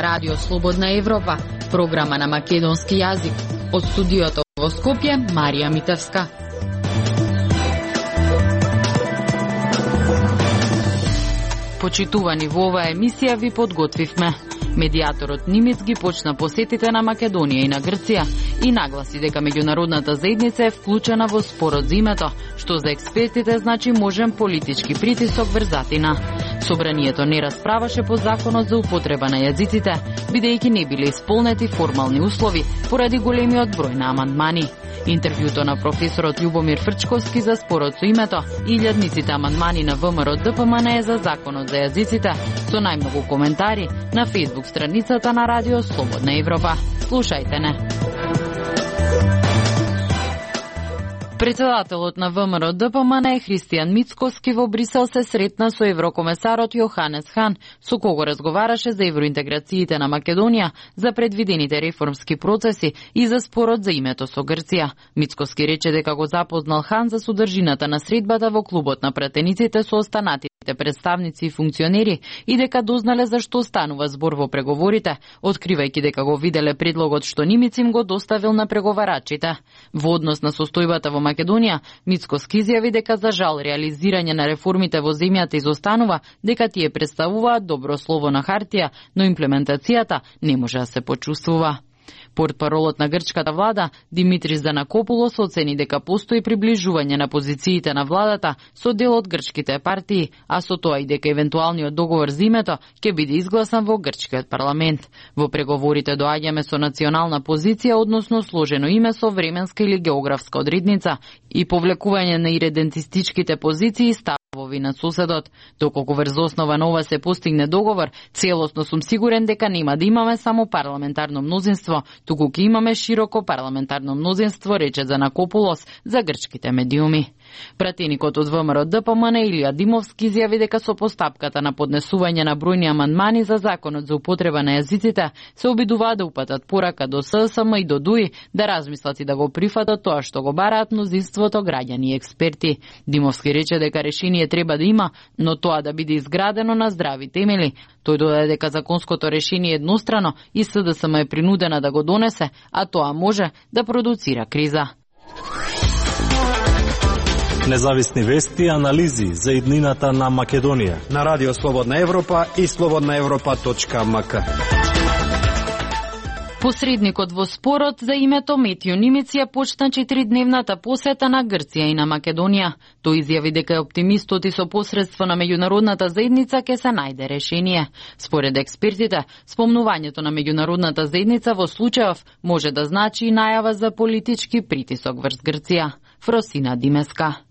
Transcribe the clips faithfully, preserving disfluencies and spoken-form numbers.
ова Радио Слободна Европа, програма на македонски јазик. Од студиото во Скопје, Марија Митевска. Почитувани, во оваа емисија ви подготвивме. Медијаторот Нимиц ги почна посетите на Македонија и на Грција и нагласи дека меѓународната заедница е вклучена во спорот за името, што за експертите значи можен политички притисок врз Атина. Собранието не расправаше по законот за употреба на јазиците, бидејќи не биле исполнети формални услови поради големиот број на амандмани. Интервјуто на професорот Љубомир Фрчковски за спорот со името и илјадниците амандмани на ВМРО ДПМН е за законот за јазиците, со најмногу коментари на Facebook страницата на Радио Слободна Европа. Слушајте не. Председателот на ВМРО ДПМН Христијан Мицкоски во Брисел се сретна со еврокомесарот Јоханес Хан, со кого разговараше за евроинтеграциите на Македонија, за предвидените реформски процеси и за спорот за името со Грција. Мицкоски рече дека го запознал Хан за содржината на средбата во клубот на пратениците со останатите представници и функционери и дека дознале за што станува збор во преговорите, откривајќи дека го виделе предлогот што Нимиц им го доставил на преговарачите. Во однос на состојбата во Македонија, Мицкоски изјави дека за жал реализирање на реформите во земјата изостанува, дека тие представуваат добро слово на хартија, но имплементацијата не може да се почувствува. Портпаролот на грчката влада Димитрис Занакопулос оцени дека постои приближување на позициите на владата со дел од грчките партии, а со тоа и дека евентуалниот договор за името ќе биде изгласан во грчкиот парламент. Во преговорите доаѓаме со национална позиција, односно сложено име со временска или географска одредница и повлекување на иредентистичките позиции и ставови на соседот. Доколку врз основа на ова се постигне договор, целосно сум сигурен дека нема да имаме само парламентарно мнозинство, туку ќе имаме широко парламентарно мнозинство, рече Занакопулос за грчките медиуми. Пратеникот од ВМРО ДПМН Илија Димовски изјави дека со постапката на поднесување на бројни амандмани за законот за употреба на јазиците се обидуваат да упатат порака до ССМ и до ДУИ да размислат и да го прифатат тоа што го бараат мнозинството граѓани и експерти. Димовски рече дека решение треба да има, но тоа да биде изградено на здрави темели. Тој додаде дека законското решение е еднострано и СДСМ е принудена да го донесе, а тоа може да продуцира криза. Независни вести и анализи за иднината на Македонија на Радио Слободна Европа и слободна европа точка ем ка. Посредникот во спорот за името Метјо Нимиц ја почна четиридневната посета на Грција и на Македонија. Тој изјави дека е оптимистот и со посредство на меѓународната заедница ќе се најде решение. Според експертите, спомнувањето на меѓународната заедница во случајов може да значи и најава за политички притисок врз Грција. Фросина Димеска.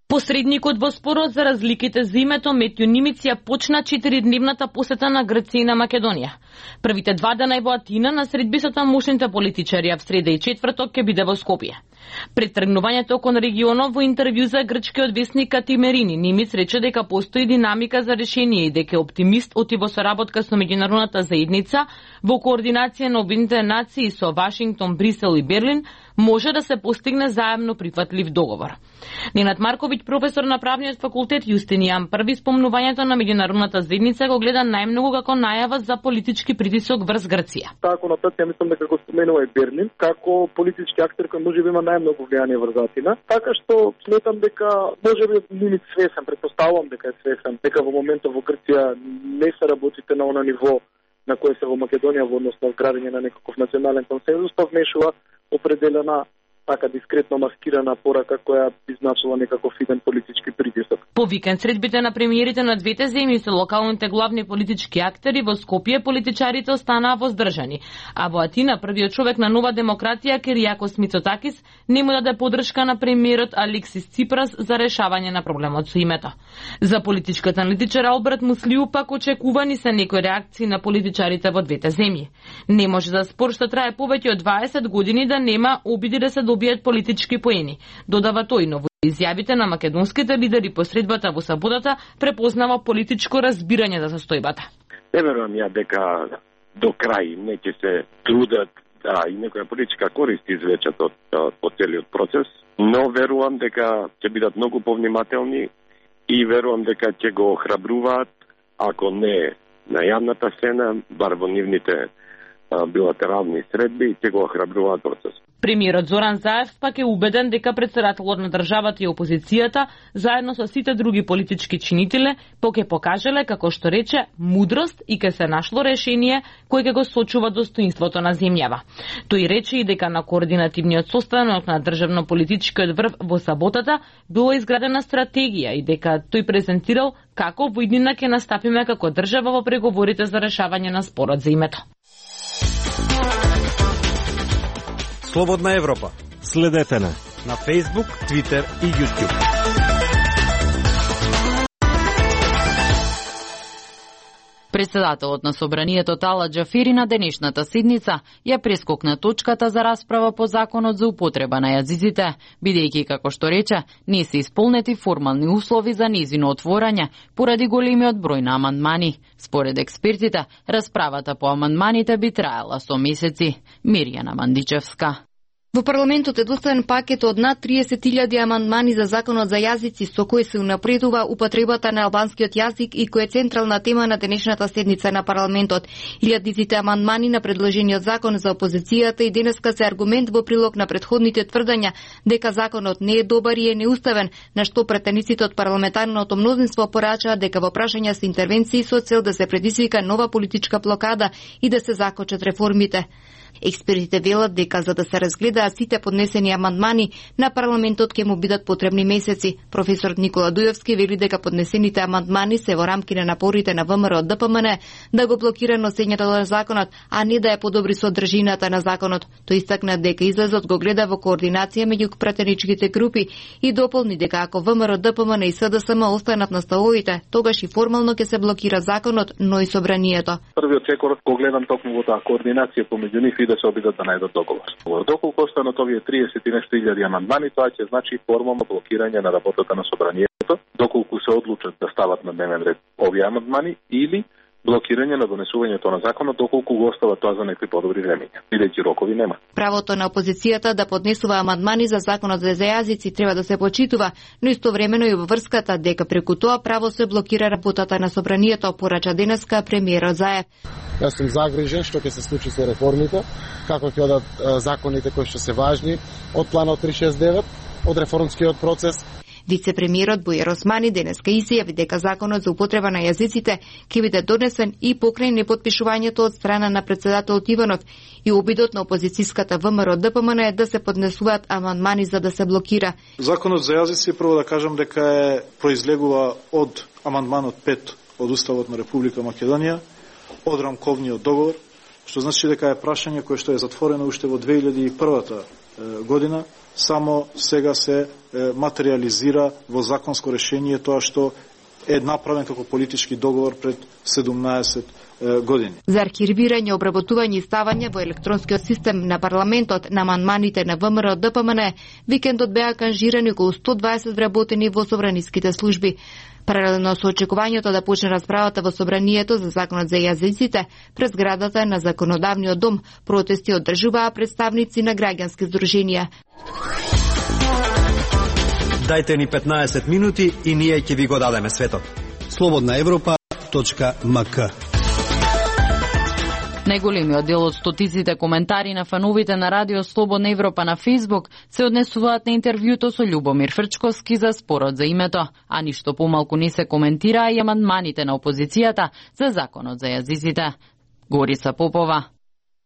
Посредникот во спорот за разликите за името Метјо Нимиц ја почна четиридневната посета на Грција и на Македонија. Првите два дена во Атина на средби со тамошните политичари, а в среда и четврток ќе биде во Скопје. Пред тргнувањето кон регионот во интервју за грчкиот весник Катимерини, Нимиц рече дека постои динамика за решение и дека е оптимист оти во соработка со меѓународната заедница во координација на Обединетите нации со Вашингтон, Брисел и Берлин може да се постигне заемно прифатлив договор. Ненад Марковиќ, професор на правниот факултет Јустинијан Први, спомнувањето на меѓународната заедница го гледа најмногу како најава за политички притисок врз Грција. Таа конотација мислам дека го споменува и Берлин како политички актер кој можеби има најмногу влијание врз Атина. Така што сметам дека можеби Нимиц свесен, претпоставувам дека е свесен, дека во моментот во Грција не се работите на она ниво на кое се во Македонија во однос на градење на некаков национален консензус, па внешува определена така дискретно маскирана порака која изначува некаков иден политички притисок. По викенд средбите на премиерите на двете земји со локалните главни политички актери во Скопје политичарите останаа воздржани, а во Атина првиот човек на Нова демократија Киријакос Мицотакис не му даде поддршка на премиерот Алексис Ципрас за решавање на проблемот со името. За политичката аналитичар Алберт Муслиу пак очекувани се некои реакции на политичарите во двете земји. Не може за спор што трае повеќе од дваесет години да нема обиди да се добијат политички поени. Додава тој, но во изјавите на македонските лидери по средбата во саботата препознава политичко разбирање за состојбата. Не верувам ја дека до крај не ќе се трудат да и некоја политичка корист извлечат од, од целиот процес, но верувам дека ќе бидат многу повнимателни и верувам дека ќе го охрабруваат, ако не на јавната сцена, бар во нивните билатерални средби и ќе го охрабруваат процес. Премиерот Зоран Заев пак е убеден дека претседателот на државата и опозицијата, заедно со сите други политички чинители, поќе покажале, како што рече, мудрост и ке се нашло решение кој ќе го сочува достоинството на земјава. Тој рече и дека на координативниот состанок на државно-политичкиот врв во саботата била изградена стратегија и дека тој презентирал како во иднина ќе настапиме како држава во преговорите за решавање на спорот за името. Слободна Европа. Следете на на Facebook, Twitter и YouTube. Председателот на Собранието Тала Џафери на денешната седница ја прескокна точката за расправа по законот за употреба на јазиците, бидејќи, како што рече, не се исполнети формални услови за нејзино отворање поради големиот број на амандмани. Според експертите, расправата по амандманите би траела со месеци. Мирјана Мандичевска. Во парламентот е доставен пакет од над триесет илјади амандмани за законот за јазици, со кој се унапредува употребата на албанскиот јазик и кој е централна тема на денешната седница на парламентот. Илјадиците амандмани на предложениот закон за опозицијата и денеска се аргумент во прилог на претходните тврдања дека законот не е добар и е неуставен, на што претениците од парламентарното мнозинство порачаа дека во прашања се интервенции со цел да се предизвика нова политичка блокада и да се закочат реформите. Експертите велат дека за да се разгледаат сите поднесени амандмани на парламентот ќе му бидат потребни месеци. Професорот Никола Дујовски вели дека поднесените амандмани се во рамки на напорите на ВМРО ДПМН да го блокира носењето на законот, а не да ја подобри содржината на законот. Тој истакна дека излезот го гледа во координација меѓу пратеничките групи и дополни дека ако ВМРО ДПМН и СДСМ останат на ставовите, тогаш и формално ќе се блокира законот, но и собранието. Првиот секор го гледам токму во таа координација помеѓу нив и да се обидат да најдат договор. Доколку останат овие триесет и нешто илјади амандмани, тоа ќе значи формално блокирање на работата на собранието, доколку се одлучат да стават на дневен ред овие амандмани или блокирање на донесувањето на законот доколку го остават тоа за некои подобри времења, бидејќи рокови нема. Правото на опозицијата да поднесува амандмани за законот за јазици треба да се почитува, но истовремено и обврската дека преку тоа право се блокира работата на собранието, порача денеска премиерот Заев. Јас сум загрижен што ќе се случи со реформите, како ќе одат законите кои што се важни од планот триста шесет и девет, од реформскиот процес. Вице-премиерот Бујар Османи денеска изјави дека законот за употреба на јазиците ќе биде донесен и покрај непотпишувањето од страна на председателот Иванов и обидот на опозицијската ВМРО ДПМН е да се поднесуваат амандмани за да се блокира. Законот за јазици, прво да кажам дека е произлегува од амандманот пет од Уставот на Република Македонија, од рамковниот договор, што значи дека е прашање кое што е затворено уште во две илјади и прва година, само сега се материализира во законско решение тоа што е направен како политички договор пред седумнаесет години. За архивирање, обработување и ставање во електронскиот систем на парламентот на амандманите на ВМРО ДПМН, викендот беа канжирани околу сто дваесет вработени во собраниските служби. Паралелно со очекувањето да почне расправата во собранието за законот за јазиците, пред зградата на Законодавниот дом протести одржуваа представници на граѓански здруженија. Дајте ни петнаесет минути и ние ќе ви го дадеме светот. слободна европа точка ем ка. Најголемиот дел од стотиците коментари на фановите на Радио Слободна Европа на Фејсбук се однесуваат на интервјуто со Љубомир Фрчковски за спорот за името, а ништо помалку не се коментираа и амандманите на опозицијата за законот за јазиците. Горица Попова.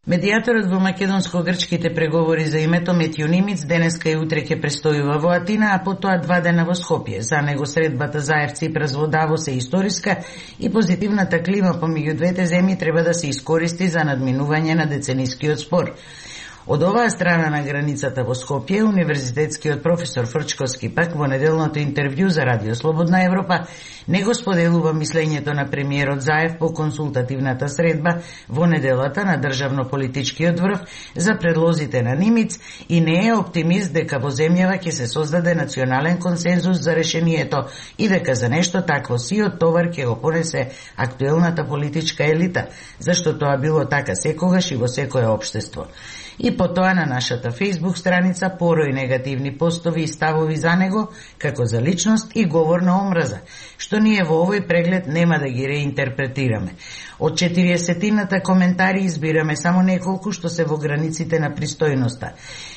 Медијаторот во македонско-грчките преговори за името Метју Нимиц денеска и утре ќе престојува во Атина, а потоа два дена во Скопје. За него средбата Заев Ципрас во Давос е историска и позитивната клима помеѓу двете земји треба да се искористи за надминување на деценискиот спор. Од оваа страна на границата во Скопје, универзитетскиот професор Фрчковски пак во неделното интервју за Радио Слободна Европа не го споделува мислењето на премиерот Заев по консултативната средба во неделата на државно-политичкиот врв за предлозите на Нимиц и не е оптимист дека во земјава ќе се создаде национален консензус за решението и дека за нешто такво сиот товар ќе го понесе актуелната политичка елита, зашто тоа било така секогаш и во секое општество. И потоа на нашата Facebook страница порој негативни постови и ставови за него, како за личност и говор на омраза, што ние во овој преглед нема да ги реинтерпретираме. Од четириесетината коментари избираме само неколку што се во границите на пристојноста.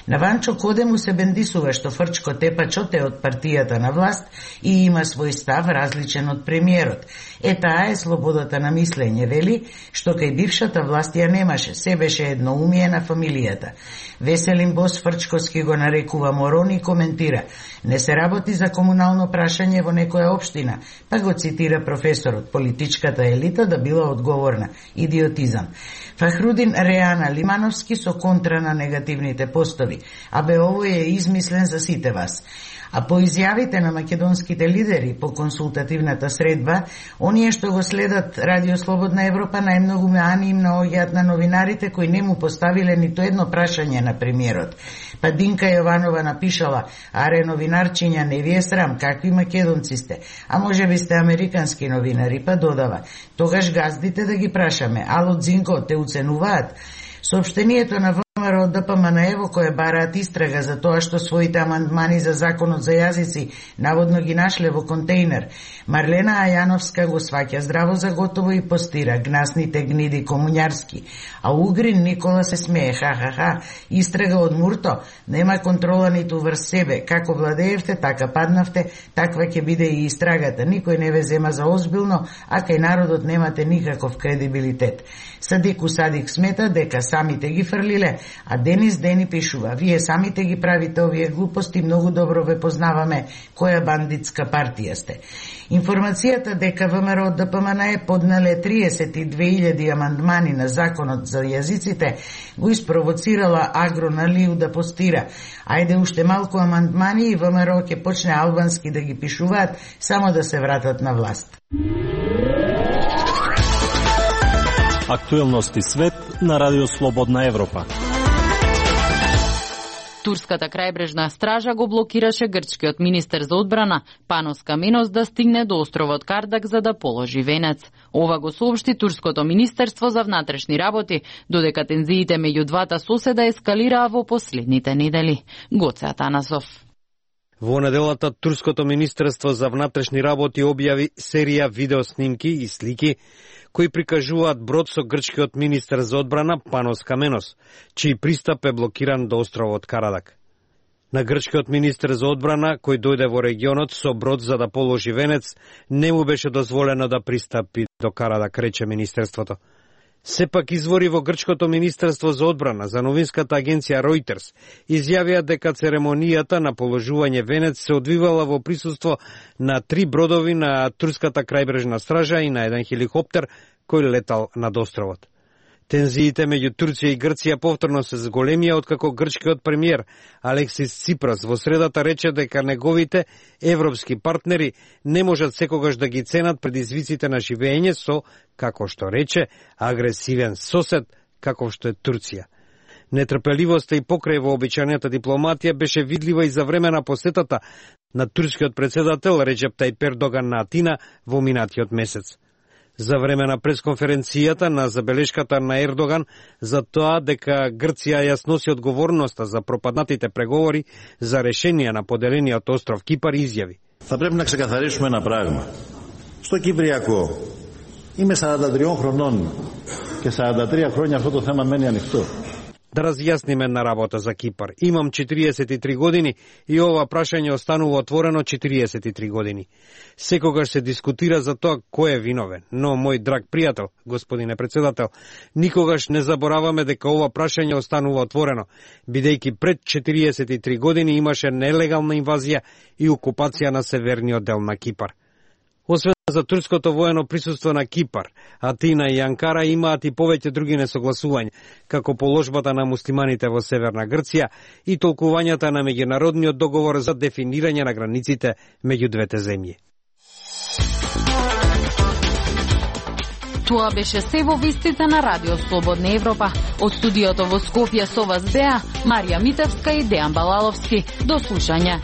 На Ванчо Коде му се бендисува што Фрчко Тепачот е од партијата на власт и има свој став различен од премиерот. Е, таа е слободата на мислење, вели, што кај бившата власт ја немаше, се беше едноумие на фамилијата. Веселин Бос Фрчковски го нарекува морон и коментира: не се работи за комунално прашање во некоја општина, па го цитира професорот: политичката елита да била одговорна. Идиотизам. Фахрудин Реана Лимановски со контра на негативните постови. Абе, овој е измислен за сите вас. А по изјавите на македонските лидери по консултативната средба, оние што го следат Радио Слободна Европа најмногу меани им наоѓаат на новинарите кои не му поставиле ниту едно прашање на премиерот. Па Динка Јованова напишала: аре новинарчиња, не ви е срам, какви македонци сте? А може би сте американски новинари? Па додава: тогаш газдите да ги прашаме, ало Дзинко, те уценуваат? Соопштението на ВМРО ДПМНЕ во кое бараат истрага за тоа што своите амандмани за законот за јазици наводно ги нашле во контејнер. Марлена Ајановска го сваќа здраво за готово и постира: гнасните гниди комуњарски. А Угрин Никола се смее: ха-ха-ха, истрага од Мурто, нема контрола ниту врз себе, како владеевте, така паднавте, таква ќе биде и истрагата. Никој не ве зема за озбилно, а кај народот немате никаков кредибилитет. Садику Садик смета дека самите ги фрлиле, а Денис Дени пишува: вие самите ги правите овие глупости, многу добро ве познаваме која бандитска партија сте. Информацијата дека ВМРО ДПМНЕ поднале триесет и две илјади амандмани на законот за јазиците го испровоцирала Агро на Лиу да постира: ајде уште малку амандмани и ВМРО ќе почне албански да ги пишуваат, само да се вратат на власт. Актуелности свет на Радио Слободна Европа. Турската крајбрежна стража го блокираше грчкиот министер за одбрана Панос Каменос да стигне до островот Кардак за да положи венец. Ова го соопшти Турското министерство за внатрешни работи, додека тензиите меѓу двата соседа ескалираа во последните недели. Гоце Атанасов. Во неделата Турското министерство за внатрешни работи објави серија видеоснимки и слики кои прикажуваат брод со грчкиот министер за одбрана Панос Каменос, чиј пристап е блокиран до островот Карадак. На грчкиот министер за одбрана, кој дојде во регионот со брод за да положи венец, не му беше дозволено да пристапи до Карадак, рече министерството. Сепак извори во грчкото министерство за одбрана за новинската агенција Reuters изјавија дека церемонијата на положување венец се одвивала во присуство на три бродови на турската крајбрежна стража и на еден хеликоптер кој летал над островот. Тензиите меѓу Турција и Грција повторно се зголемија откако грчкиот премиер Алексис Ципрас во средата рече дека неговите европски партнери не можат секогаш да ги ценат предизвиците на живење со, како што рече, агресивен сосед, каков што е Турција. Нетрпеливоста и покрај вообичајната дипломатија беше видлива и за време на посетата на турскиот председател Реджеп Тајип Ердоган на Атина во минатиот месец. За време на пресконференцијата на забелешката на Ердоган за тоа дека Грција ја сноси одговорноста за пропаднатите преговори за решение на поделениот остров Кипар, изјави: Θα πρέπει να ξεκαθαρίσουμε ένα πράγμα. Στο Κυπριακό είμαι σαράντα τριών χρονών και σαράντα τρία χρόνια αυτό το θέμα μένει ανοιχτό. Да разјасниме една работа за Кипар. Имам четириесет и три години и ова прашање останува отворено четириесет и три години. Секогаш се дискутира за тоа кој е виновен, но, мој драг пријател, господине председател, никогаш не забораваме дека ова прашање останува отворено, бидејќи пред четириесет и три години имаше нелегална инвазија и окупација на северниот дел на Кипар. Освен за турското воено присуство на Кипар, Атина и Анкара имаат и повеќе други несогласувања, како положбата на муслиманите во Северна Грција и толкувањата на меѓународниот договор за дефинирање на границите меѓу двете земји. Тоа беше се во вестите на Радио Слободна Европа. Од студиото во Скопје со вас беа Марија Митевска и Дејан Балаловски. До слушање.